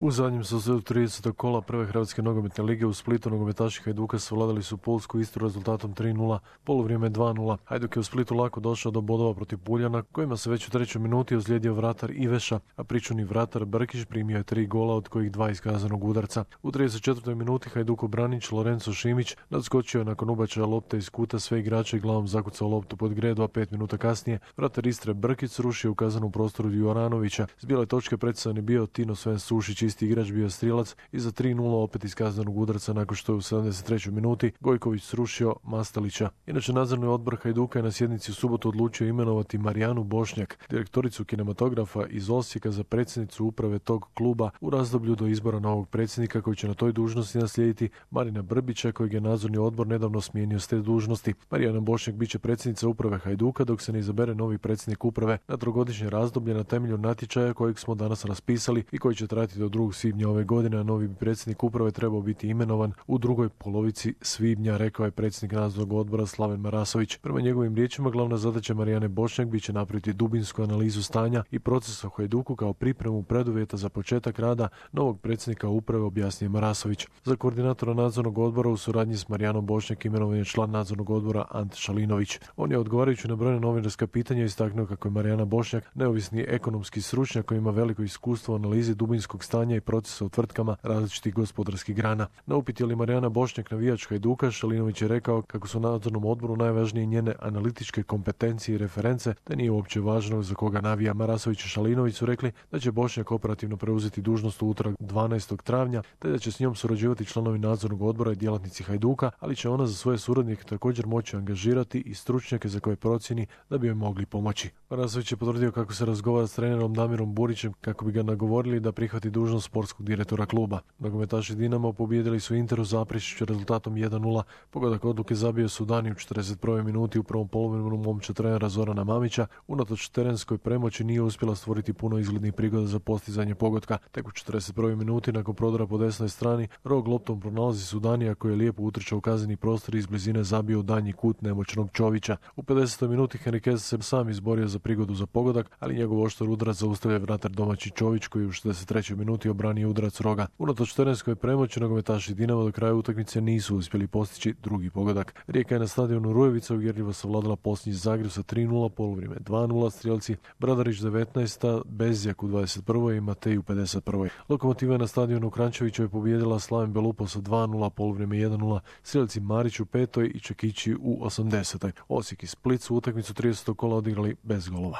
U zadnjem susretu 30. kola prve Hrvatske nogometne lige u Splitu nogometaši Hajduka savladali su Pulsku Istru rezultatom 3:0, poluvrijeme 2:0. Hajduk je u Splitu lako došao do bodova protiv Puljana, kojima se već u trećoj minuti ozlijedio vratar Iveša, a pričuvni vratar Brkić primio je 3 gola, od kojih 2 iz kaznenog udarca. U 34. minuti Hajdukov branič Lorenzo Šimić nadskočio je nakon ubačaja lopte iz kuta sve igrače i glavom zakucao loptu pod gredu, a 5 minuta kasnije vratar Istre Brkić srušio u kaznenom prostoru Djuranovića. S bijele točke predstavljen je bio Tino Sven Sušić, isti igrač bio strijelac i za 3:0 opet iz kaznenog udarca nakon što je u 73. minuti Gojković srušio Mastalića. Inače, nadzorni odbor Hajduka je na sjednici u subotu odlučio imenovati Marijanu Bošnjak, direktoricu kinematografa iz Osijeka, za predsjednicu uprave tog kluba u razdoblju do izbora novog predsjednika, koji će na toj dužnosti naslijediti Marina Brbića, kojeg je nadzorni odbor nedavno smijenio s te dužnosti. Marijana Bošnjak biće predsjednica uprave Hajduka dok se ne izabere novi predsjednik uprave na trogodišnje razdoblje na temelju natječaja kojeg smo danas raspisali i koji će trajati do 2. svibnja ove godine, a novi predsjednik uprave trebao biti imenovan u drugoj polovici svibnja, rekao je predsjednik nadzornog odbora Slaven Marasović. Prema njegovim riječima, glavna zadaća Marijane Bošnjak bit će napraviti dubinsku analizu stanja i procesa u Hajduku kao pripremu preduvjeta za početak rada novog predsjednika uprave, objasnio Marasović. Za koordinatora nadzornog odbora u suradnji s Marijanom Bošnjak imenovan je član nadzornog odbora Ante Šalinović. On je, odgovarajući na brojna novinarska pitanja, istaknuo kako je Marijana Bošnjak neovisni ekonomski stručnjak koji ima veliko iskustvo u analizi dubinskog stanja i procesa u tvrtkama različitih gospodarskih grana. Na upit je li Marijana Bošnjak navijač Hajduka, Šalinović je rekao kako su nadzornom odboru najvažnije njene analitičke kompetencije i reference, te nije uopće važno za koga navija. Marasović i Šalinović su rekli da će Bošnjak operativno preuzeti dužnost u utorak 12. travnja, te da će s njom surađivati članovi nadzornog odbora i djelatnici Hajduka, ali će ona za svoje suradnike također moći angažirati i stručnjake za koje procjeni da bi joj mogli pomoći. Marasović je potvrdio kako se razgovara s trenerom Damirom Burićem kako bi ga nagovorili da prihvati dužnost sportskog direktora kluba. Nogometaši Dinamo pobijedili su Interu Zaprešiću rezultatom 1:0. Pogodak odluke zabio su Dani u 41. minuti u prvom poluvremenu momčad trenera Zorana Mamića. Unatoč terenskoj premoći nije uspjela stvoriti puno izglednih prigoda za postizanje pogotka. Tek u 41. minuti nakon prodora po desnoj strani Rog loptom pronalazi Sudanija koji je lijepo utrčao u kazneni prostor i iz blizine zabio u danji kut nemoćnog Čovića. U 50. minuti Henriquez se sam izborio za prigodu za pogodak, ali njegov oštar udarac zaustavlja vratar domaći Čović koji u 63. minuti obranio udarac Roga. Unatoč terenskoj premoći nogometaši Dinama do kraja utakmice nisu uspjeli postići drugi pogodak. Rijeka je na stadionu Rujevica uvjerljivo savladala posljednji Zagreb sa 3:0, poluvrijeme 2:0, strijelci Bradarić 19, Bezjak u 21. i Matej u 51. Lokomotiva je na stadionu Krančevićevoj pobijedila Slaven Belupo sa 2:0, poluvrijeme 1:0, strijelci Marić u 5. i Čekići u 80. Osijek i Split su utakmicu 30. kola odigrali bez golova.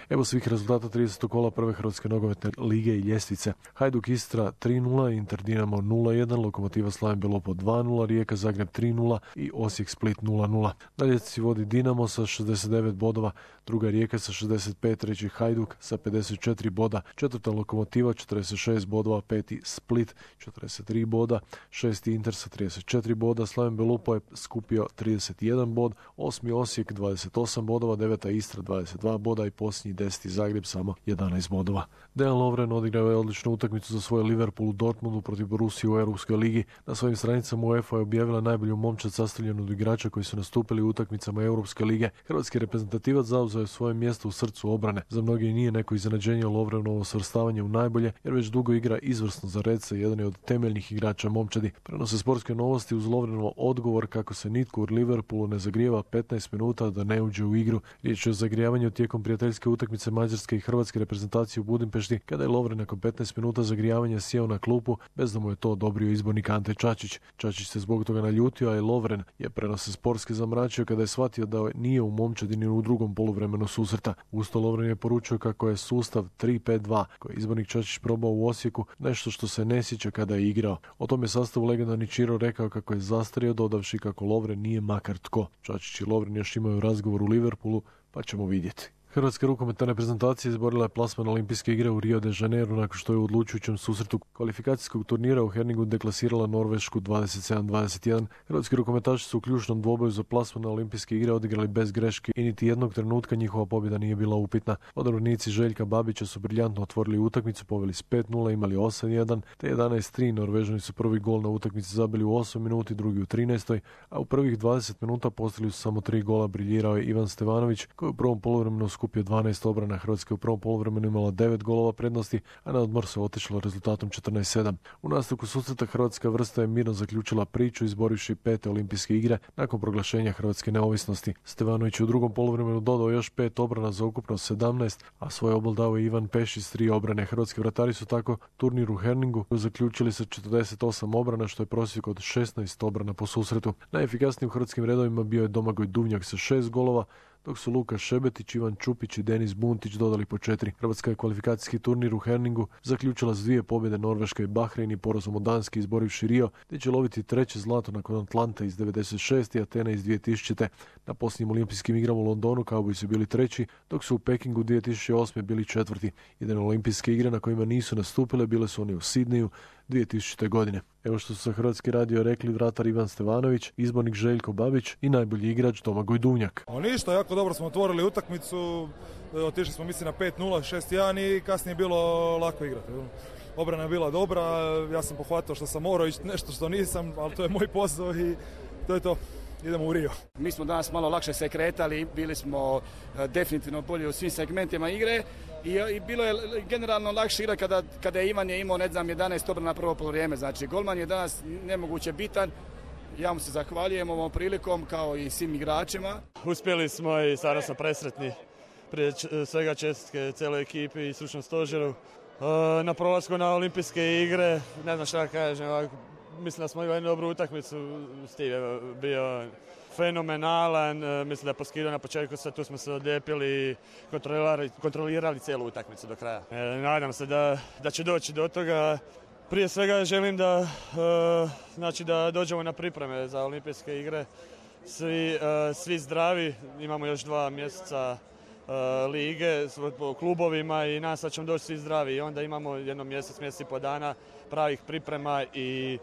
Evo svih rezultata 30. kola prve Hrvatske nogometne lige i ljestvice. Hajduk Istra 3:0, Inter Dinamo 0:1, Lokomotiva Slaven Belupo 2:0, Rijeka Zagreb 3:0 i Osijek Split 0:0. Na ljestvici vodi Dinamo sa 69 bodova, druga Rijeka sa 65, treći Hajduk sa 54 boda, četvrta Lokomotiva 46 bodova, peti Split 43 boda, šesti Inter sa 34 boda, Slaven Belupo je skupio 31 bod, osmi Osijek 28 bodova, deveta Istra 22 boda i posljednji 10. Zagreb samo 11 bodova. Dejan Lovren odigrao je odličnu utakmicu za svoj Liverpool u Dortmundu protiv Borusije u Europskoj ligi. Na svojim stranicama UEFA je objavila najbolju momčad sastavljenu od igrača koji su nastupili u utakmicama Europske lige. Hrvatski reprezentativac zauzeo je svoje mjesto u srcu obrane. Za mnoge nije neko iznenađenje Lovrenovo svrstavanje u najbolje, jer već dugo igra izvrsno za Redce, jedan je od temeljnih igrača momčadi. Prenose sportske novosti uz Lovrenovo odgovor kako se nitko u Liverpoolu ne zagrijeva 15 minuta da ne uđe u igru. Riječ je o zagrijavanju tijekom prijateljske utakmice Mađarske i Hrvatske reprezentacije u Budimpešti, kada je Lovren nakon 15 minuta zagrijavanja sjeo na klupu bez da mu je to odobrio izbornik Ante Čačić. Čačić se zbog toga naljutio, a i Lovren je prenose sportske zamračio kada je shvatio da nije u momčadi ni u drugom poluvremenu susreta. Usto Lovren je poručio kako je sustav 3-5-2 koji je izbornik Čačić probao u Osijeku nešto što se ne sjeća kada je igrao. O tome sastavu legendarni Čiro rekao kako je zastario, dodavši kako Lovren nije makar tko. Čačić i Lovren još imaju razgovor u Liverpoolu, pa ćemo vidjeti. Hrvatska rukometna reprezentacija izborila je plasman Olimpijske igre u Rio de Janeiro nakon što je u odlučujućem susretu kvalifikacijskog turnira u Herningu deklasirala Norvešku 27-21. Hrvatski rukometaši su u ključnom dvoboju za plasman na Olimpijske igre odigrali bez greške i niti jednog trenutka njihova pobjeda nije bila upitna. Odabranici Željka Babića su briljantno otvorili utakmicu, poveli s 5:0, imali 8:1, te 11:3. Norvežani su prvi gol na utakmici zabili u 8 minuti, drugi u 13, a u prvih 20 minuta postigli su samo 3 gola. Briljirao je Ivan Stevanović koji u prvom poluvremenu skupio 12 obrana. Hrvatska u prvom poluvremenu imala 9 golova prednosti, a na odmor se otišlo rezultatom 14:7. U nastavku susreta hrvatska vrsta je mirno zaključila priču izborivši 5. olimpijske igre nakon proglašenja hrvatske neovisnosti. Stevanović u drugom poluvremenu dodao još 5 obrana za ukupno 17, a svoj obol dao je Ivan Pešić s 3 obrane. Hrvatski vratari su tako turnir u Herningu zaključili sa 48 obrana, što je prosjek od 16 obrana po susretu. Najefikasniji u hrvatskim redovima bio je Domagoj Duvnjak sa 6 golova, dok su Luka Šebetić, Ivan Čupić i Denis Buntić dodali po 4. Hrvatska je kvalifikacijski turnir u Herningu zaključila s 2 pobjede Norveška i Bahrein i porazom od Danske izborivši Rio, gdje će loviti 3. zlato nakon Atlante iz 96. i Atene iz 2000. Na posljednjim olimpijskim igrama u Londonu Cowboysi su bili 3., dok su u Pekingu 2008. bili 4. Jedine olimpijske igre na kojima nisu nastupile bile su oni u Sidneju 2000. godine. Evo što su sa Hrvatski radio rekli vratar Ivan Stevanović, izbornik Željko Babić i najbolji igrač Domagoj Duvnjak. Ništa, jako dobro smo otvorili utakmicu, otišli smo mislim na 5:0, 6:1 i kasnije je bilo lako igrati. Obrana je bila dobra, ja sam pohvatao što sam morao ići, nešto što nisam, ali to je moj posao i to je to. Idemo u Rio. Mi smo danas malo lakše se kretali, bili smo definitivno bolji u svim segmentima igre i bilo je generalno lakše igra kada je Ivan imao 11 obrana prvo poluvreme. Znači golman je danas nemoguće bitan. Ja mu se zahvaljujem ovom prilikom kao i svim igračima. Uspjeli smo i stvarno smo presretni. Prije svega čestitke cijeloj ekipi i stručnom stožeru. Na prolasku na olimpijske igre, ne znam šta kažem, mislim da smo imali jednu dobru utakmicu, Steve je bio fenomenalan, mislim da je poskidao na početku, tu smo se odlijepili i kontrolirali cijelu utakmicu do kraja. Nadam se da će doći do toga. Prije svega želim da dođemo na pripreme za olimpijske igre, svi zdravi, imamo još 2 mjeseca lige po klubovima i nas sad ćemo doći svi zdravi i onda imamo jedno mjesec i po dana pravih priprema i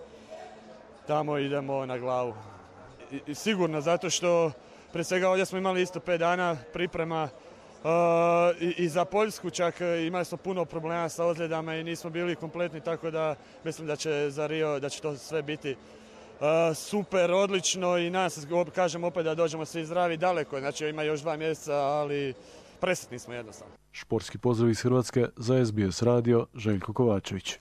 tamo idemo na glavu. I sigurno, zato što prije svega ovdje smo imali isto 5 dana priprema i za Poljsku čak imali smo puno problema sa ozljedama i nismo bili kompletni, tako da mislim da će za Rio, da će to sve biti super, odlično i nas, kažem opet da dođemo svi zdravi daleko, znači ima još 2 mjeseca, ali presretni smo jednostavno. Športski pozdrav iz Hrvatske za SBS radio, Željko Kovačević.